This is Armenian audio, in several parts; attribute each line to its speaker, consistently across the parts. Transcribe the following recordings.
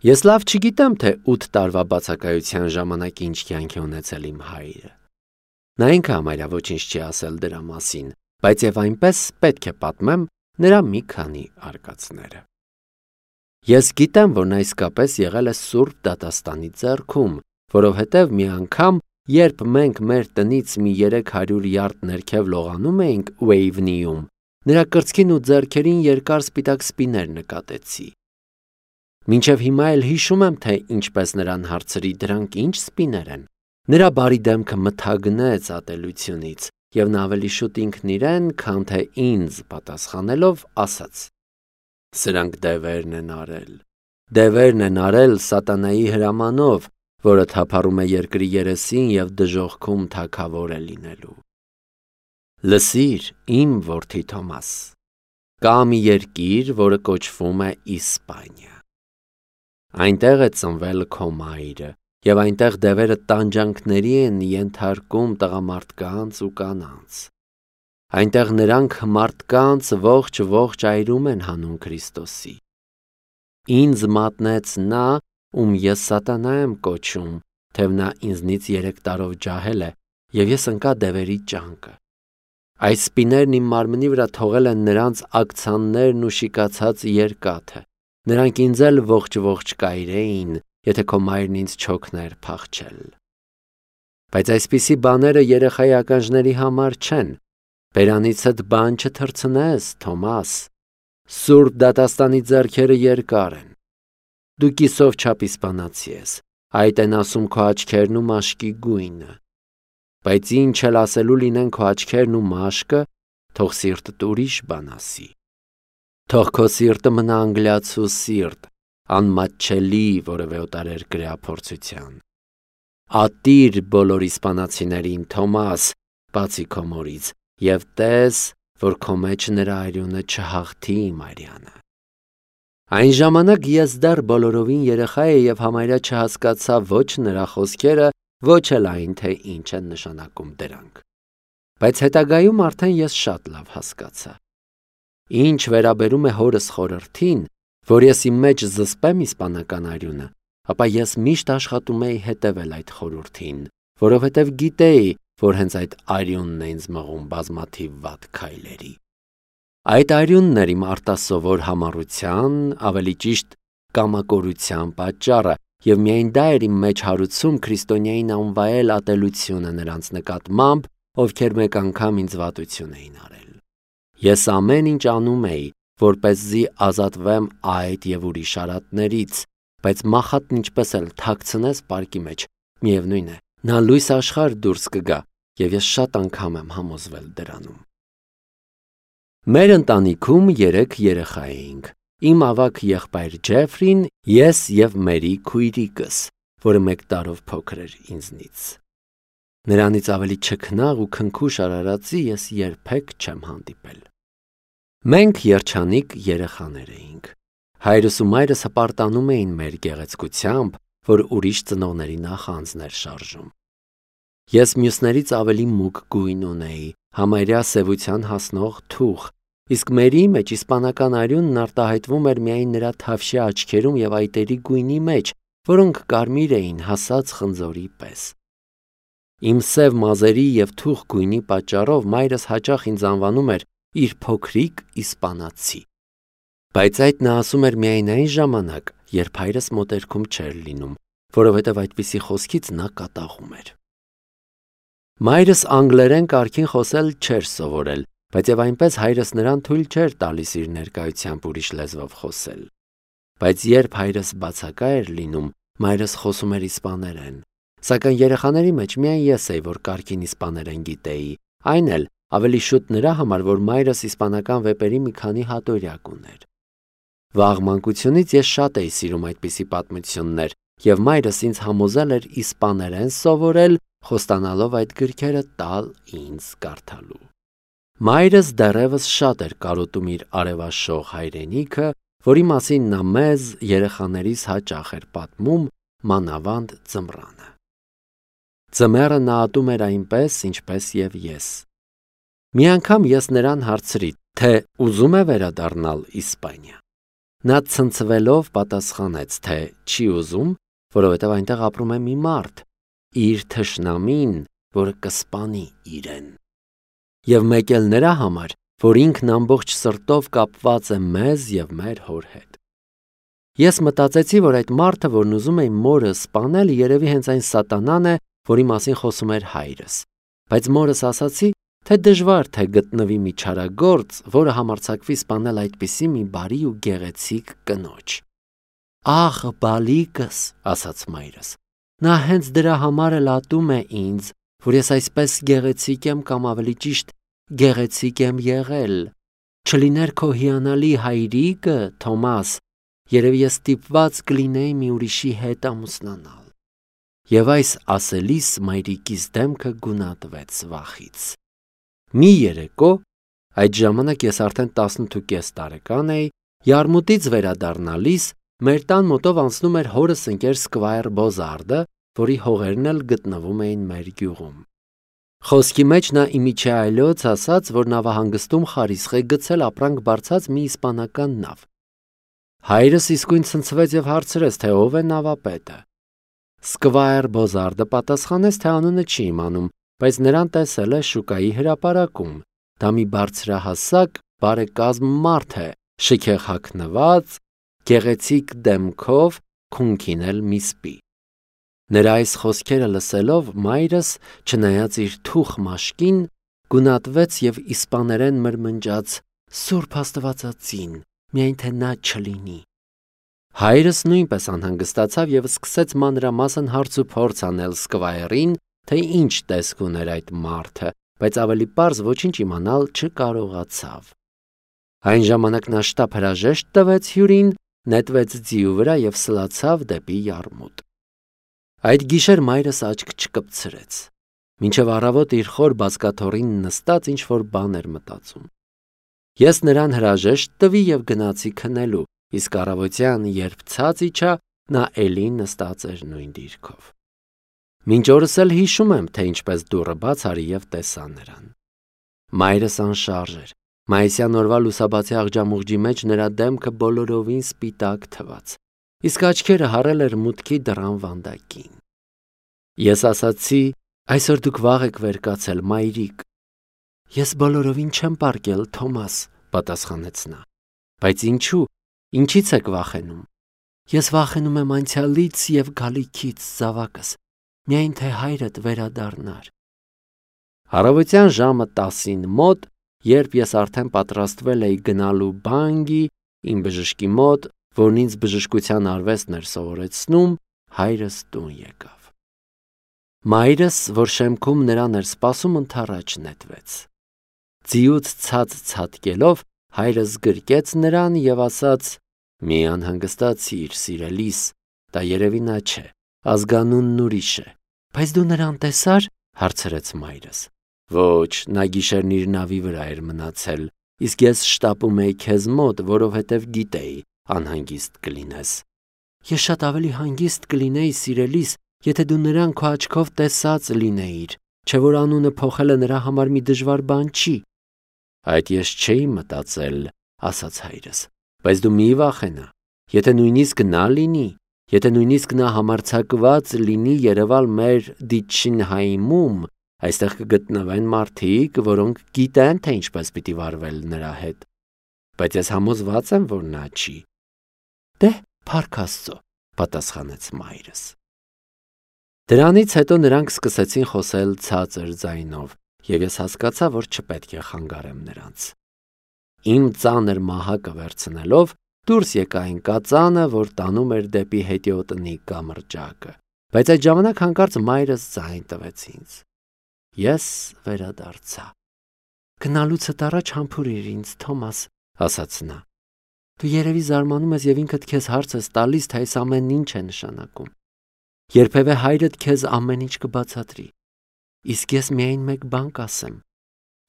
Speaker 1: Ես լավ չգիտեմ, թե 8 տարվա բացակայության ժամանակ ինչ կյանք է ունեցել իմ հայրը։ Նա ինքը համարյա ոչինչ չի ասել դրա մասին, բայց եւ այնպես պետք է պատմեմ նրա մի քանի արկածները։ Ես գիտեմ, որ նա իսկապես եղել է Սուրբ դատաստանի ձեռքում, որովհետև մի անգամ, երբ մենք մեր տնից մի 300 յարդ ներքև լողանում էինք Ուեյվնիում, նրա կրծքին ու ձեռքերին երկար սպիտակ սպիներ նկատեցի։ Մինչև հիմա էլ հիշում եմ, թե ինչպես նրան հարցրի դրանք ինչ սպիներ են։ Նրա բարի դեմքը մթագնեց ատելությունից, եւ նա ավելի շուտ ինքն իրեն, քան թե ինձ պատասխանելով ասաց. Սրանք դևերն են արել։ Դևերն են արել սատանայի հրամանով, որը թափառում է երկրի երեսին եւ դժոխքում թագավոր է լինելու։ Լսիր, իմ որդի Թոմաս, կա մի երկիր, որը կոչվում է Իսպանիա։ Այնտեղ է ծնվել քո մայրը, եւ այնտեղ դևերը տանջանքների են ենթարկում տղամարդկանց ու կանանց։ Այնտեղ նրանք մարդկանց ողջ այրում են հանուն Քրիստոսի։ Ինձ մատնեց նա, ում ես սատանա եմ կոչում, թեև նա ինձնից 3 տարով ջահել է, եւ ես ընկա դևերի ճանկը։ Այս սպիներն իմ մարմնի վրա թողել են նրանց ակցաններն ու շիկացած երկաթը։ Նրանք ինձ էլ ողջ կայրեին, եթե քո մայրն ինձ չօգներ փախչել։ Բայց այսպիսի բաները երեխայի ականջների համար չեն։ Բերանիցդ բան չթռցնես, Թոմաս։ Սուրբ դատաստանի ձեռքերը երկար են։ Դու կիսով չափ իսպանացի ես, այդ են ասում քո աչքերն ու մաշկի գույնը։ Բայց ինչ էլ ասելու լինեն քո աչքերն ու մաշկը, թող սիրտդ ուրիշ բան ասի։ Թող քո սիրտը մնա անգլիացու սիրտ, անմատչելի որևէ օտարերկրյա փորձության։ Ատիր բոլոր իսպանացիներին, Թոմաս, բացի քո մորից, եւ տես, որ քո մեջ նրա արյունը չհաղթի իմ արյանը։ Այն ժամանակ ես դեռ բոլորովին երեխա էի եւ համարյա չհասկացա ոչ նրա խոսքերը, ոչ էլ այն, թե ինչ են նշանակում դրանք։ Բայց հետագայում արդեն ես շատ լավ հասկացա։ Ինչ վերաբերում է հորս խորհրդին, որ ես իմ մեջ զսպեմ իսպանական արյունը, ապա ես միշտ աշխատում էի հետևել այդ խորհրդին, որովհետև գիտեի, որ հենց այդ արյունն է ինձ մղում բազմաթիվ վատ քայլերի։ Այդ արյունն էր իմ արտասովոր համառության, ավելի ճիշտ կամակորության պատճառը, եւ միայն դա էր իմ մեջ հարուցում քրիստոնյային անվայել ատելությունը նրանց նկատմամբ, ովքեր մեկ անգամ ինձ վատություն էին արել։ Ես ամեն ինչ անում էի, որպեսզի ազատվեմ այդ եւ ուրիշ արատներից, բայց մախատն ինչպես էլ թաքցնես պարկի մեջ, միևնույն է, նա լույս աշխարհ դուրս կգա, եւ ես շատ անգամ եմ համոզվել դրանում։ Մեր ընտանիքում 3 երեխա էինք։ Իմ ավագ եղբայր Ջեֆրին, ես եւ Մերի քույրիկս, որը 1 տարով փոքր էր ինձնից։ Նրանից ավելի չքնաղ ու քնքուշ արարածի ես երբեք չեմ հանդիպել։ Մենք երջանիկ երեխաներ էինք։ Հայրս ու մայրս հպարտանում էին մեր գեղեցկությամբ, որ ուրիշ ծնողների նախանձն էր շարժում։ Ես մյուսներից ավելի մուգ գույն ունեի, համարյա սևության հասնող թուխ, իսկ Մերի մեջ իսպանական արյունն արտահայտվում էր միայն նրա թավշյա աչքերում եւ այտերի գույնի մեջ, որոնք կարմիր էին հասած խնձորի պես։ Իմ սև մազերի եւ թուխ գույնի պատճառով մայրս հաճախ ինձ անվանում էր իր փոքրիկ իսպանացի։ Բայց այդ նա ասում էր միայն այն ժամանակ, երբ հայրս մոտերքում չէր լինում, որովհետև այդպիսի խոսքից նա կատաղում էր։ Մայրս անգլերեն կարգին խոսել չէր սովորել, բայց եւ այնպես հայրս նրան թույլ չէր տալիս իր ներկայությամբ ուրիշ լեզվով խոսել։ Բայց երբ հայրս բացակա էր լինում, մայրս խոսում էր իսպաներեն։ Սակայն երեխաների մեջ միայն ես էի, որ կարգին իսպաներեն գիտեի, այն էլ ավելի շուտ նրա համար, որ մայրս իսպանական վեպերի մի քանի հատորյակ ուներ։ Վաղ մանկությունից ես շատ էի սիրում այդպիսի պատմություններ, եւ մայրս ինձ համոզել էր իսպաներեն սովորել, խոստանալով այդ գրքերը տալ ինձ կարդալու։ Մայրս դեռևս շատ էր կարոտում իր արևաշող հայրենիքը, որի մասին նա մեզ երեխաներիս հաճախ էր պատմում, մանավանդ ձմռանը։ Ձմեռը նա ատում էր այնպես, ինչպես եւ ես։ Մի անգամ ես նրան հարցրի, թե ուզում է վերադառնալ Իսպանիա։ Նա ցնցվելով պատասխանեց, թե չի ուզում, որովհետև այնտեղ ապրում է մի մարդ, իր թշնամին, որը կսպանի իրեն։ Եվ մեկ էլ նրա համար, որ ինքն ամբողջ սրտով կապված է մեզ և մեր հոր հետ։ Ես մտածեցի, որ այդ մարդը, որն ուզում է մորը սպանել, երևի հենց այն սատանան է, որի մասին խոսում էր հայրս։ Բայց մորս ասացի, թե դժվար թե գտնվի մի չարագործ, որը համարձակվի սպանել այդպիսի մի բարի ու գեղեցիկ կնոջ։ Ախ, բալիկս, ասաց մայրս, նա հենց դրա համար էլ ատում է ինձ, որ ես այսպես գեղեցիկ եմ կամ ավելի ճիշտ գեղեցիկ եմ եղել։ Չլիներ քո հիանալի հայրիկը, Թոմաս, երևի ես ստիպված կլինեի մի ուրիշի հետ ամուսնանալ։ Եվ այս ասելիս մայրիկիս դեմքը գունատվեց վախից։ Մի երեկո, այդ ժամանակ ես արդեն 18.5 տարեկան էի, Յարմուտից վերադառնալիս մեր տան մոտով անցնում էր հորս ընկեր Սկվայր Բոզարդը, որի հողերն էլ գտնվում էին մեր գյուղում։ Խոսքի մեջ նա իմիջե այլոց ասաց, որ նավահանգստում խարիսխ է գցել ապրանք բարձած մի իսպանական նավ։ Հայրս իսկույն ցնցվեց և հարցրեց, թե ով է նավապետը։ Սկվայր Բոզարդը պատասխանեց, թե անունը չի իմանում, բայց նրան տեսել է շուկայի հրապարակում։ Դա մի բարձրահասակ, բարեկազմ մարդ է, շքեղ հագնված, գեղեցիկ դեմքով, քունքին էլ մի սպի։ Նրա այս խոսքերը լսելով մայրս, չնայած իր թուխ մաշկին, գունատվեց և իսպաներեն մրմնջաց. «Սուրբ Աստվածածին, միայն թե նա չլինի»։ Հայրս նույնպես անհանգստացավ և սկսեց մանրամասն հարց ու փորձ անել Սկվայրին, թե ինչ տեսք ուներ այդ մարդը, բայց ավելի պարզ ոչինչ իմանալ չկարողացավ։ Այն ժամանակ նա շտապ հրաժեշտ տվեց հյուրին, նետվեց ձիու վրա և սլացավ դեպի Յարմուտ։ Այդ գիշեր մայրս աչք չկպցրեց։ Մինչև առավոտ իր խոր բազկաթոռին նստած ինչ-որ բան էր մտածում։ Ես նրան հրաժեշտ տվի և գնացի քնելու, իսկ առավոտյան, երբ ցած իջա, նա էլի նստած էր նույն դիրքով։ Մինչ օրս էլ հիշում եմ, թե ինչպես դուռը բաց արի և տեսա նրան։ Մայրս անշարժ էր։ Մայիսյան օրվա լուսաբացի աղջամուղջի մեջ նրա դեմքը բոլորովին սպիտակ թվաց, իսկ աչքերը հառել էր մուտքի դռան վանդակին։ Ես ասացի. «Այսօր դուք վաղ եք վեր կացել, մայրիկ»։ «Ես բոլորովին չեմ պառկել, Թոմաս», պատասխանեց նա։ «Բայց ինչու, ինչից եք վախենում»։ «Ես վախենում եմ անցյալից և գալիքից, զավակս, միայն թե հայրդ վերադառնար»։ Առավոտյան ժամը 10-ին մոտ, երբ ես արդեն պատրաստվել էի գնալու բանգի, իմ բժշկի մոտ, որն ինձ բժշկության արվեստն էր սովորեցնում, հայրս տուն եկավ։ Մայրս, որ շեմքում նրան էր սպասում, ընդառաջ նետվեց։ Ձիուց ցած ցատկելով, հայրս գրկեց նրան և ասաց. «Մի անհանգստացիր, սիրելիս, դա երևի նա չէ, ազգանունն ուրիշ է»։ «Բայց դու նրան տեսա՞ր», հարցրեց մայրս։ «Ոչ, նա գիշերն իր նավի վրա էր մնացել, իսկ ես շտապում էի քեզ մոտ, որովհետև գիտեի, անհանգիստ կլինես»։ «Ես շատ ավելի հանգիստ կլինեի, սիրելիս, եթե դու նրան քո աչքով տեսած լինեիր, չէ՞ որ անունը փոխելը նրա համար մի դժվար բան չի»։ «Այդ ես չէի մտածել», ասաց հայրս, «բայց դու մի վախենա, եթե նույնիսկ նա լինի, եթե նույնիսկ նա համարձակված լինի երևալ մեր Դիչշինհայմում, այստեղ կգտնվեն մարդիկ, որոնք գիտեն, թե ինչպես պիտի վարվել նրա հետ, բայց ես համոզված եմ, որ նա չի»։ «Դե, փառք Աստծո», պատասխանեց մայրս։ Դրանից հետո նրանք սկսեցին խոսել ցածր ձայնով, և ես հասկացա, որ չպետք է խանգարեմ նրանց։ Իմ ծանր մահակը վերցնելով, դուրս եկա այն կածանը, որ տանում էր դեպի հետիոտնի կամրջակը, բայց այդ ժամանակ հանկարծ մայրս ձայն տվեց ինձ։ Ես վերադարձա։ «Գնալուցդ առաջ համբուրիր ինձ, Թոմաս», ասաց նա։ «Դու երևի զարմանում ես և ինքդ քեզ հարց ես տալիս, թե այս ամենն ինչ է նշանակում։ Երբևէ հայրդ քեզ ամեն ինչ կբացատրի։ Իսկ ես միայն մեկ բան կասեմ.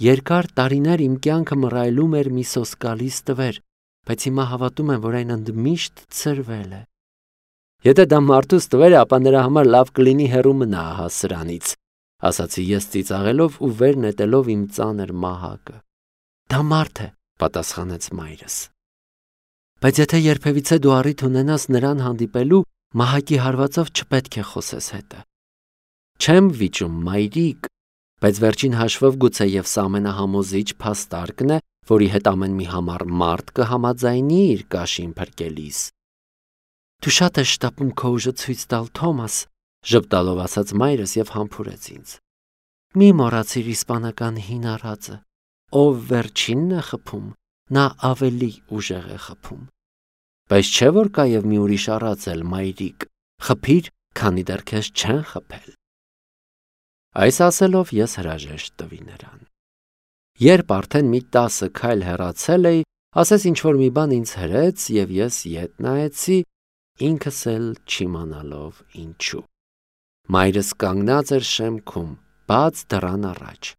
Speaker 1: երկար տարիներ իմ կյանքը մռայլում էր մի սոսկալի ստվեր, բայց հիմա հավատում եմ, որ այն ընդմիշտ ցրվել է։ Եթե դա մարդու ստվեր է, ապա նրա համար լավ կլինի հեռու մնա ահա սրանից, ասացի ես ծիծաղելով ու վեր նետելով իմ ծանր մահակը։ Դա մարդ է, պատասխանեց մայրս։ Բայց եթե երբևիցե դու առիթ ունենաս նրան հանդիպելու, մահակի հարվածով չպետք է խոսես հետը։ Չեմ վիճում, մայրիկ, բայց վերջին հաշվով գուցեև սա ամենահամոզիչ փաստարկն է, որի հետ ամեն մի համառ մարդ կհամաձայնի իր կաշին փրկելիս։ Դու շատ ես շտապում քո ուժը ցույց տալ, Թոմաս, ժպտալով ասաց մայրս եւ համբուրեց ինձ։ Մի մոռացիր իսպանական հին առածը, ով վերջինն է խփում, նա ավելի ուժեղ է խփում։ Բայց չէ որ կա եւ մի ուրիշ առած էլ, մայրիկ, խփիր, քանի դեռ քեզ չեն խփել։ Այս ասելով ես հրաժեշտ տվի նրան։ Երբ արդեն մի 10 քայլ հեռացել էի, ասես ինչ-որ մի բան ինձ հրեց եւ ես ետ նայեցի, ինքս էլ չիմանալով ինչու։ Մայրս կանգնած էր շեմքում, բաց դռան առաջ։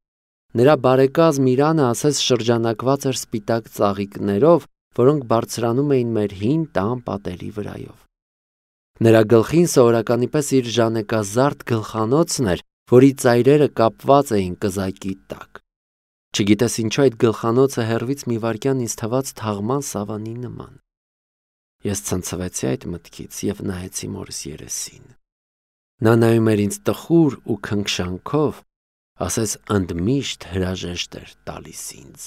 Speaker 1: Նրա բարեկազմ իրանը ասես շրջանակված էր սպիտակ ծաղիկներով, որոնք բարձրանում էին մեր հին տան պատերի վրայով։ Նրա գլխին սովորականի պես իր ժանեկազարդ գլխանոցն էր, որի ծայրերը կապված էին կզակի տակ։ Չգիտես ինչու այդ գլխանոցը հեռվից մի վայրկյան ինձ թվաց թաղման սավանի նման։ Ես ցնցվեցի այդ մտքից եւ նայեցի մորս երեսին։ Նա նայում էր ինձ տխուր ու քնքշանքով, ասես ընդմիշտ հրաժեշտ էր տալիս ինձ։